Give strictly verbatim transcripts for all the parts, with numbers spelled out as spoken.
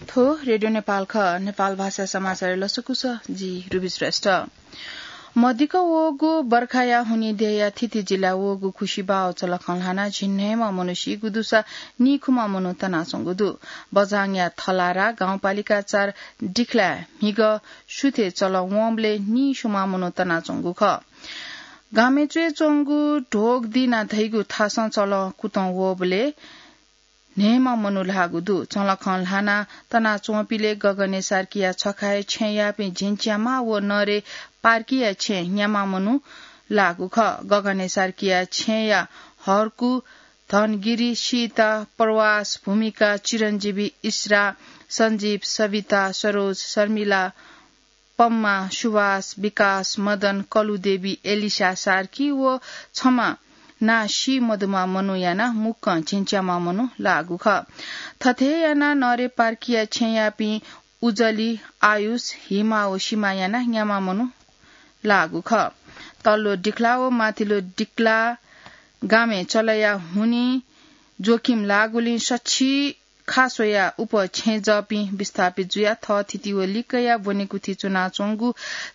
थ्व रेडियो नेपाल खः। नेपाल भाषा समाचार लसकुस, जि रुबी श्रेष्ठ। मदिक्क वःगु बर्खाया हुनिं देय्‌या थीथी जिल्लाय् वःगु खुसिबाव चलखं ल्हानाः झिंन्हय्‌म्ह मनू सीगु दुसा नीखुम्ह मनू तनाच्वंगु दु। बझाङया थलारा गाउँपालिका चार डिखलाय् म्हिगः सुथय् चलं वंबलय् नीस्वम्ह मनू तनाच्वंगु खः। गामय् च्वय् च्वंगु ढोगदिना धइगु थासं चलं कुतं वःबलय् न्हय्‌म्ह मनू ल्हाःगु दु। चलखं ल्हानाः तनाच्वंपिलय् गगने सार्कीया छखाय् छेँयापिं झिंच्यामा व नरे पार्कीया छेँ न्यामा मनू लाःगु खः। गगने सार्कीया छेँया हर्कु, धनगिरी, सीता, प्रवास, भूमिका, चिरञ्जीवी, इस्रा, सञ्जीव, सविता, सरोज, शर्मिला, पम्मा, सुवास, विकास, मदन, कलुदेवी, एलिसा सार्की व छम्ह नां सी मदुम्ह मनू यानाः मुक्कं झिंच्याम्ह मनू लाःगु खः। थथे यानाः नरे पार्कीया छेँयापिं उजली, आयुष, हिमा व सिमा यानाः न्याम्ह मनू लाःगु खः। तल्लो डिखला व माथिल्लो डिखला गामय् चलया हुनिं जोखिम लाःगुलिं सछि खास वयाः उप छेँजःपिं विस्थापित जुयाः थःथिति व लिक्कया ब्वनेकुथि च्वनाच्वंगु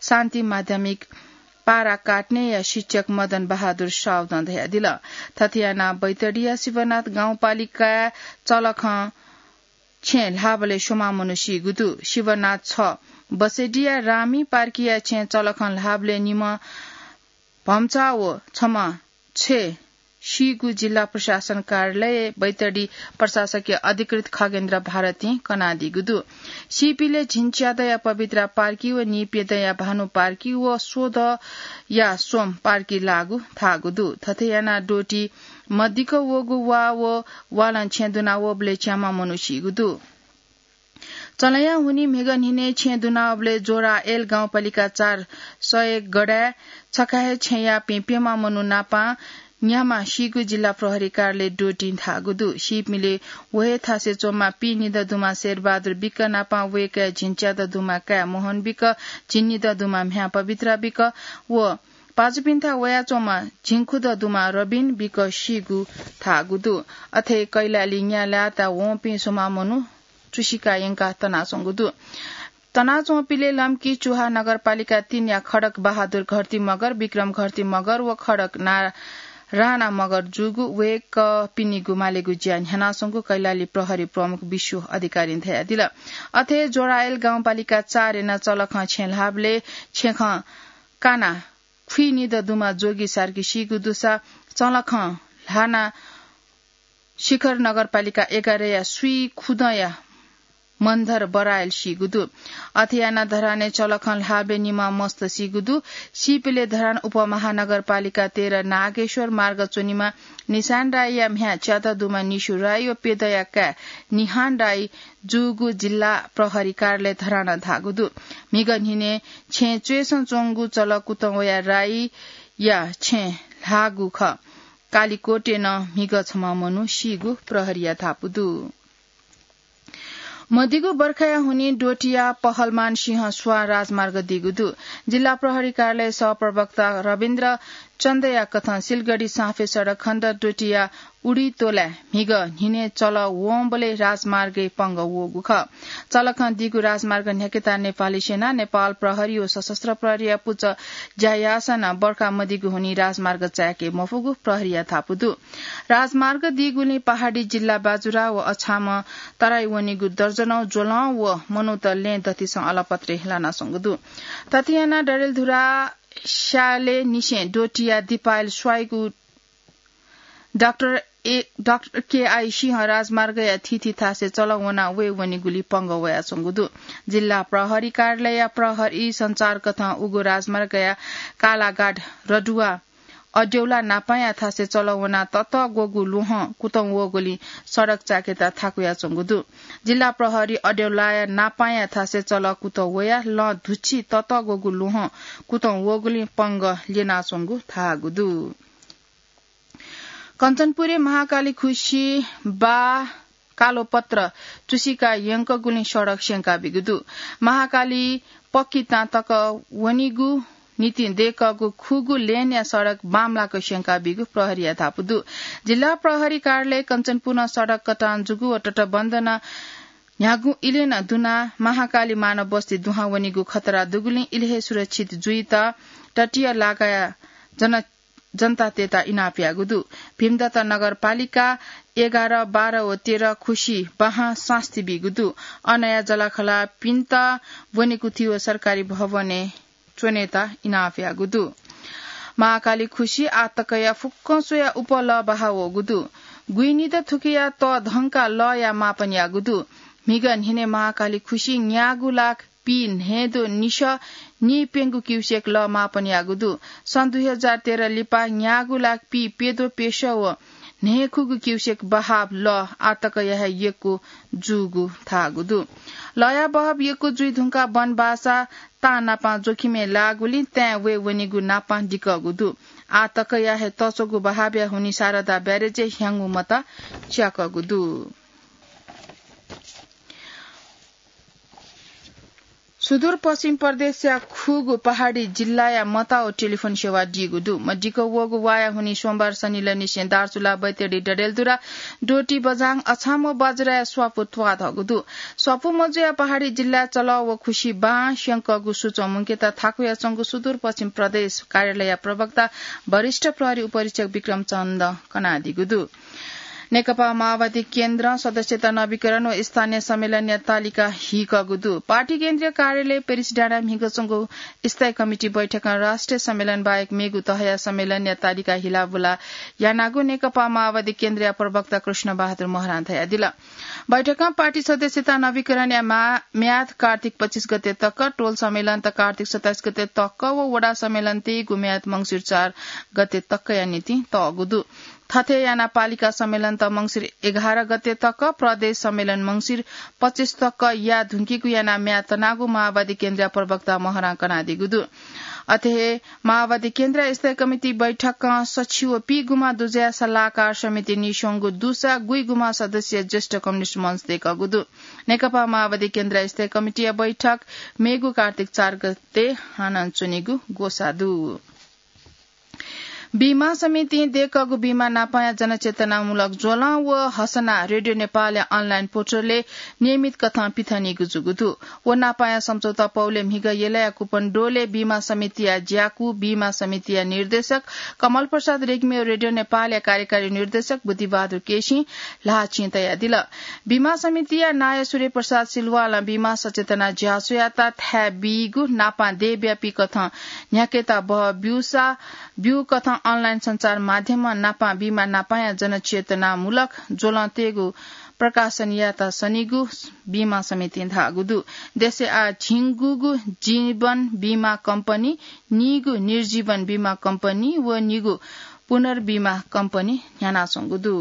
शान्ति माध्यमिक पारा काट्नेया शिक्षक मदन बहादुर साउदं धयादिल। थथे यानाः बैतडीया शिवनाथ गाउँपालिकाय् चलखं छेँ ल्हाःबलय् स्वम्ह मनू सीगु दु। शिवनाथ छ बसेडिया रामी पार्कीया छेँ चलखं ल्हाःबलय् निम्ह भम्चा व छम्ह छेँ सीगु जिल्ला प्रशासन कार्यालय बैतडी प्रशासकीय अधिकृत खगेन्द्र भारतीं कनादीगु दु। सीपिले झिंच्यादँया पवित्रा पार्की व नीप्यदँया भानु पार्की व स्वदँया स्वम पार्की लाःगु धाःगु दु। थथे यानाः द्वःति मदिक्क वःगु वा व वालं छेँ दुना वःबलय् च्याम्ह मनू सीगु दु। चलया हुनिं म्हिगः न्हिनय् छेँ दुनावःबलय् जोरायल गाउँपालिका चार सयगडाय् छखाय् छेँयापिं प्यम्ह मनू नापं न्याम्ह सीगु जिल्ला प्रहरी कार्यालय द्वःतिं धाःगु दु। सीपिले व हे थासय् च्वंम्ह पीनिदँ दुम्ह शेरबहादुर विक नापं वय्कःया झिंच्यादँ दुम्ह काय् मोहन विक, झिंनिदँ दुम्ह म्ह्याय् पवित्रा विक व पाजुपिन्थाय् वयाच्वंम्ह झिंखुदँ दुम्ह रबिन विक सीगु धाःगु दु। अथे कैलाली न्याल्लाय् वंपिं स्वम्ह मनू चुसिका यंकाः तनाच्वंगु दु। तनाच्वंपिले लम्की चुहा नगरपालिका तीनया खडक बहादुर घर्ती मगर, विक्रम घर्ती मगर व खडक ना-, राणा मगर जूगु वय्कःपिनिगु मालेगु ज्या न्ह्यानाच्वंगु कैलाली प्रहरी प्रमुख विश्व अधिकारीं धयादिल। अथे जोरायल गाउँपालिका चार याना चलखं छेँ ल्हाःबलय् छेँखं काना खुइनिदँ दुम्ह जोगी सार्की सीगु दुसा चलखं ल्हाना शिखर नगरपालिका एघारया स्वीखुदँया मन्धर बरायल सीगु दु। अथे यानाः धरानय् चलखं ल्हाःबलय् निम्ह मस्त सीगु दु। सीपिले धरान उपमहानगरपालिका तेह्र नागेश्वर मार्ग च्वनीम्ह निशान राईया म्ह्याय् च्यादँ दुम्ह निशु राई व प्यदँया काय् निहान राई जूगु जिल्ला प्रहरी कार्यालय धरानं धाःगु दु। म्हिगः न्हिनय् छेँ च्वय्सं च्वंगु चलं कुतं वयाः राईया छेँ ल्हाःगु खः। कालिकोटय् नं म्हिगः छम्ह मनू सीगु प्रहरीया धापू दु। मदिगु बर्खाया हुनिं द्वःतिया पहलमान सिंह स्वां राजमार्ग दीगु दु। जिल्ला प्रहरी कार्यालय सहप्रवक्ता रविन्द्र चन्दया कथं सिलगढी साँफे सडक खण्ड द्वःतिया उडी तोलाय् म्हिगः न्हिनय् चलं वंबलय् राजमार्गय् पंगः वःगु खः। चलखं दीगु राजमार्ग न्ह्याकेत नेपाली सेना, नेपाल प्रहरी व सशस्त्र प्रहरीया पुचः ज्या याःसां नं बर्खा मदीगु हुनिं राजमार्ग चाय्के मफुगु प्रहरीया धापू दु। राजमार्ग दीगुलिं पहाडी जिल्ला बाजुरा व अछामं तराई वनीगु दर्जनौं ज्वलं व मनूत लँय् दथुसं अलपत्रे लानाच्वंगु दु। थथे यानाः डडेलधुरा स्यालेनिसें द्वःतिया दिपायल स्वाइगु डाक्टर ए, डाक्टर केआई सिंह राजमार्गया थीथी थासय् चलं वनाः वये वनीगुलिं पंगः वयाच्वंगु दु। जिल्ला प्रहरी कार्यालयया प्रहरी सञ्चारकथं उगु राजमार्गया कालाघाट रडुवा अड्यौला नापांया थासय् चलं वनाः ततःग्वःगु ल्वहं कुतं वःगुलिं सडक चाय्केत थाकुयाच्वंगु दु। जिल्ला प्रहरी अड्यौलाया नापांया थासय् चलं कुतं वयाः लँ धुच्छि ततःग्वःगु ल्वहं कुतं वःगुलिं पंगः ल्यनाच्वंगु धाःगु दु। कञ्चनपुरय् महाकाली खुसि बा कालोपत्र चुसिका यंकगुलिं सडक स्यंकाबीगु दु। महाकाली पक्की तां तक वनीगु निंतिं दय्कःगु खुगू लेनया सडक बांमलाक स्यंकाबीगु प्रहरीया धापू दु। जिल्ला प्रहरी कार्यालय कञ्चनपुरं सडक कटान जूगु व तटबन्ध नं न्ह्यागु इलय् नं दुना महाकाली मानव बस्ती दुहां वनीगु खतरा दुगुलिं इलय् हे सुरक्षित जुइत तटीय लागाया जन जनतातय्त इनाप याःगु दु। भीमदत्त नगरपालिका एघार, बाह्र व तेह्र खुसी बाहां सास्ती बीगु दु। अनया जलाखलापिन्त ब्वनेकुथि व सरकारी भवनय् च्वनेत इनाप याःगु दु। महाकाली खुसी आतकया फुक्कं स्वया उपलः बाहा वःगु दु। गुइनिद थुकिया तःधंका लःया मापन याःगु दु। म्हिगः न्हिनय् महाकाली खुसी न्यागू लाख पी न्हय्दो निसः नीप्यंगू क्युसेक लः मापन याःगु दु। सन् दुई हजार तेह्र लिपा न्यागू लाख पी प्यद्वः प्यसः व न्हय्खुगू क्युसेक बहाब लः आतकया हे यक्व जूगु धाःगु दु। लःया बहाब यक्व जुइ धुंकाः वनबासा तांनापं जोखिमय् लाःगुलिं ताँय् वये वनीगु नापं दिकःगु दु। आतकया हे तच्वःगु बहाबया हुनिं शारदा ब्यारेजय् ह्याउँगु मत च्याकःगु दु। सुदूरपश्चिम प्रदेशया खुगू पहाडी जिल्लाया मताःव टेलिफोन सेवा दीगु दु। मदिक्क वःगु वाया हुनिं सोमबार सनिलय् निसें दार्चुला, बैतडी, डडेलधुरा, डोटी, बझाङ, अछाम व बज्राया स्वापू त्वाःधःगु दु। स्वापू मजुया पहाडी जिल्लाय् चलः व खुसी बां स्यंकःगु सुचं मुंकेत थाकुयाच्वंगु सुदूरपश्चिम प्रदेश कार्यालयया प्रवक्ता वरिष्ठ प्रहरी उपरीक्षक विक्रम चन्दं कनादीगु दु। नेकपा माओवादी केन्द्रं सदस्यता नवीकरण व स्थानीय सम्मेलनया तालिका हीकःगु दु। पार्टी केन्द्रीय कार्यालय पेरिस डाँडाय् म्हिगः च्वंगु स्थायी कमिटी बैठकं राष्ट्रिय सम्मेलन बाहेक मेगु तहया सम्मेलनया तालिका हिलाबुला यानागु नेकपा माओवादी केन्द्रया प्रवक्ता कृष्ण बहादुर महरां धयादिल। बैठकं पार्टी सदस्यता नवीकरणया मा-, म्याद कार्तिक पच्चिस गते तक, टोल सम्मेलन त कार्तिक सत्ताइस गते तक व वडा सम्मेलन तयेगु म्याद मंसिर चार गते तकया निंतिं तःगु दु। थथे यानाः पालिका सम्मेलन त मंसिर एघार गते तक, प्रदेश सम्मेलन मंसिर पच्चिस तक याये धुंकीगु यानाः म्याद तनागु माओवादी केन्द्रया प्रवक्ता महरां कनादीगु दु। अथे हे माओवादी केन्द्रया स्थायी कमिटी बैठकं सछि व पीगुमा दुजया सल्लाहकार समिति निस्वंगु दुसा गुइगुमा सदस्य ज्येष्ठ कम्युनिस्ट मञ्च दय्कःगु दु। नेकपा माओवादी केन्द्रया स्थायी कमिटीया बैठक मेगु कार्तिक चार गते हानं च्वनीगु ग्वसाः दु। बीमा समितिं दय्कःगु बीमा नापांया जनचेतनामूलक ज्वलं व हसना रेडियो नेपालया अनलाइन पोर्टलय् नियमित कथं पिथनीगु जूगु दु। व नापांया सम्झौता पौलय् म्हिगः यलया कुपन डोलय् बीमा समितिया ज्याकू, बीमा समितिया निर्देशक कमल प्रसाद रेग्मी व रेडियो नेपालया कार्यकारी निर्देशक बुद्धिबहादुर केसीं ल्हाःचिं तयादिल। बीमा समितिया नायः सूर्य प्रसाद सिलवालं बीमा सचेतना ज्याझ्वःयात थाय् बीगु नापां देय्‌ब्यापी कथं न्ह्याकेत बह ब्यूसा ब्यू कथं अनलाइन सञ्चार माध्यमं नापां बीमा नापांया जनचेतनामूलक ज्वलं तयेगु प्रकाशन यायेत सनीगु बीमा समितिं धाःगु दु। देशय् आः झिंगूगु जीवन बीमा कम्पनी, नीगु निर्जीवन बीमा कम्पनी व नीगु पुनर्बीमा कम्पनी न्ह्यानाच्वंगु दु।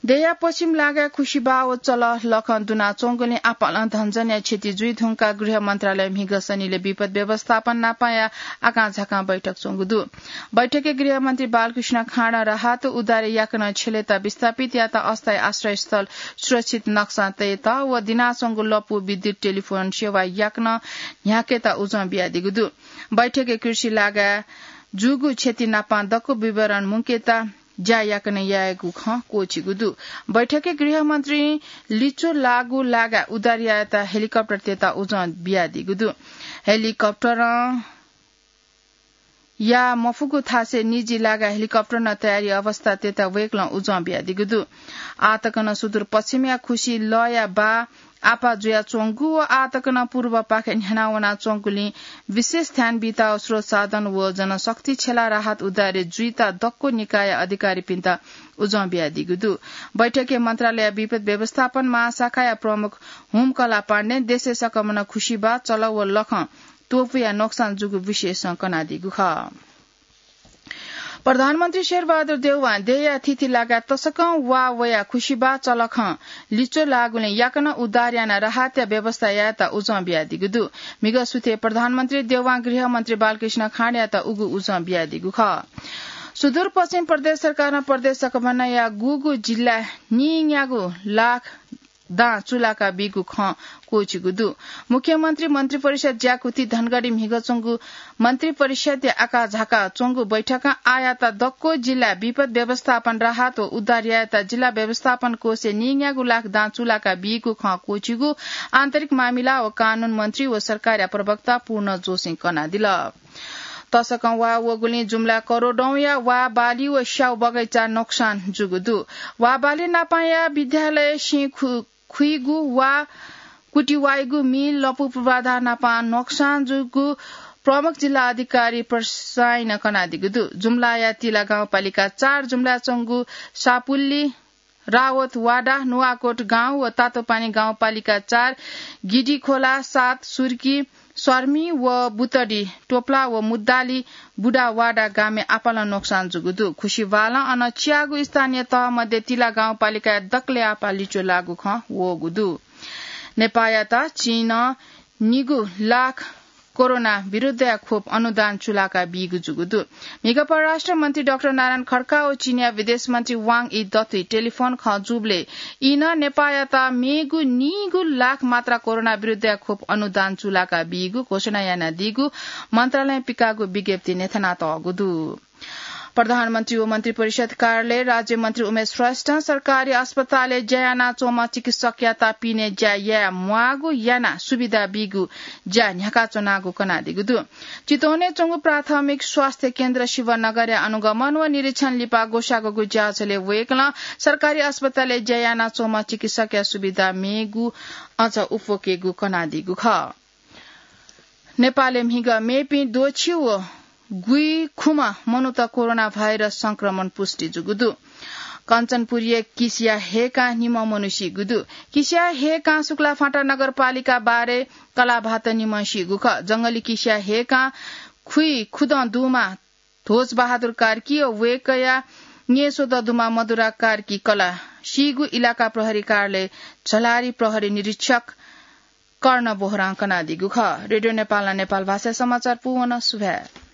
देय्‌या पश्चिम लागाय् खुसिबाः व चलः लखं दुनाच्वंगुलिं आपालं धनजनया क्षति जुइ धुंकाः गृह मन्त्रालयं म्हिगः सनिलय् विपद व्यवस्थापन नापांया आकांझाकां बैठक च्वंगु दु। बैठकय् गृहमन्त्री बालकृष्ण खाँडं राहत उद्धारय् याकनं छ्यलेत विस्थापितयात अस्थायी आश्रयस्थल सुरक्षित नक्सां तयेत व दिनाच्वंगु लँपु विद्युत टेलिफोन सेवा याकनं न्ह्याकेत उजं बियादीगु दु। बैठकय् कृषि लागाय् जूगु क्षति नापां दक्व विवरण मुंकेत ज्या याकनं यायेगु खँ क्वःछिगु दु। बैठकय् गृहमन्त्रीं लिच्वः लाःगु लागाय् उद्धारयात हेलिकप्टर तयेत उजं बियादीगु दु। हेलिकप्टरं याये मफुगु थासय् निजी लागाय् हेलिकप्टरं तयारी अवस्था तयेत वय्कलं उजं बियादीगु दु। आःतकनं सुदूर पश्चिमया खुसी लःया बाः आपाः जुयाच्वंगु व आःतकनं पूर्वपाखे न्ह्यानावनाच्वंगुलिं विशेष ध्यान बीत स्रोत साधन व जनशक्ति छ्यलाः राहत उद्धारय् जुइत दक्व निकायया अधिकारीपिन्त उजं बियादीगु दु। बैठकय् मन्त्रालयया विपद व्यवस्थापन महाशाखाया प्रमुख हुमकला पाण्डें देशय् सकम्हं खुसिबाः, चलः व लखं त्वपुया नोक्सान जूगु विषयसं कनादीगु खः। प्रधानमन्त्री शेरबहादुर देउवां देय्‌या थीथी लागाय् तसकं वा वयाः खुसिबाः, चलखं लिच्वः लाःगुलिं याकनं उद्धार यानाः राहतया व्यवस्था यायेत उजं बियादीगु दु। म्हिगः सुथय् प्रधानमन्त्री देउवां गृहमन्त्री बालकृष्ण खाँडयात उगु उजं बियादीगु खः। सुदूरपश्चिम प्रदेश सरकारं प्रदेश सकम्हया गुगु जिल्लाय् नीन्यागू लाख दां चुलाका बीगु खँ क्वचिगु दु। मुख्यमन्त्री मन्त्रिपरिषद ज्याकुथि धनगढी म्हिगः च्वंगु मन्त्रिपरिषदया आकाझाका च्वंगु बैठकं आःयात दक्व जिल्ला विपद व्यवस्थापन राहत व उद्धार यायेत जिल्ला व्यवस्थापन कोषय् नीन्यागू लाख दां चुलाका बीगु खँ क्वचिगु आन्तरिक मामिला व कानून मन्त्री व सरकारया प्रवक्ता पूर्ण जोशीं कनादिल। तसकं वा वःगुलिं जुम्ला करोडौंया वा बाली व स्याउ बगैँचा नोक्सान जूगु दु। वा बाली नापांया विद्यालय सिं खु-, खुइगु वा कुटिवाइगु मिल लपु पूर्वाधार नापां नोक्सान जूगु प्रमुख जिल्ला अधिकारी प्रसाईनं कनादीगु दु। जुम्लाया तिला गाउँपालिका चार जुम्ला च्वंगु सापुल्ली, रावत वाडा, नुवाकोट गाउँ व तातोपानी गाउँपालिका चार, गिडिखोला सात, सुर्की, सर्मी व बुतडी, टोप्ला व मुद्दाली बुढा वाडा गामय् आपालं नोक्सान जूगु दु। खुसी बालं अन च्यागु स्थानीय तह मध्ये तिला गाउँपालिकाया दकलय् आपाः लिच्वः लाःगु खँ वःगु दु। नेपाःयात चीनं निगू लाख कोरोना विरुद्धया खोप अनुदान चुलाका बीगु जूगु दु। म्हिगः परराष्ट्र मन्त्री डाक्टर नारायण खड्का व चीनया विदेश मन्त्री वाङ यी दथुइ टेलिफोन खँ जूबलय् इनं नेपाःयात मेगु निगू लाख मात्रा कोरोना विरुद्धया खोप अनुदान चुलाका बीगु घोषणा यानादीगु मन्त्रालयं पिकाःगु विज्ञप्तिइ न्ह्यथनातःगु दु। प्रधानमन्त्री व मन्त्रिपरिषद कार्यालय राज्यमन्त्री उमेश श्रेष्ठं सरकारी अस्पतालय् ज्या यानाच्वंम्ह चिकित्सकयात पिने ज्या याये म्वाःगु यानाः सुविधा बीगु ज्या न्ह्याकाच्वनागु कनादीगु दु। चितवनय् च्वंगु प्राथमिक स्वास्थ्य केन्द्र शिवनगरया अनुगमन व निरीक्षण लिपा ग्वसाःगु ज्याझ्वलय् वय्कलं सरकारी अस्पतालय् ज्या यानाच्वंम्ह चिकित्सकया सुविधा मेगु अझ उप्वकेगु कनादीगु खः। नेपालय् म्हिगः मेपिं द्वःछि व गुइखुम्ह मनूत कोरोना भाइरस संक्रमण पुष्टि जूगु दु। कञ्चनपुरया किसिया हेकां निम्ह मनू सीगु दु। किसिया हेकां शुक्लाफाँटा नगरपालिका बाह्रय् कलाभात निम्ह सीगु खः। जंगली किसिया हेकां खुइखुदँ दुम्ह ध्वजबहादुर कार्की व वय्कःया न्येस्वदँ दुम्ह मधुरा कार्की कलाः सीगु इलाका प्रहरी कार्यालय झलारी प्रहरी निरीक्षक कर्ण बोहरां कनादीगु खः। रेडियो नेपालं नेपाल भाषा समाचार पूवन सुभाय्।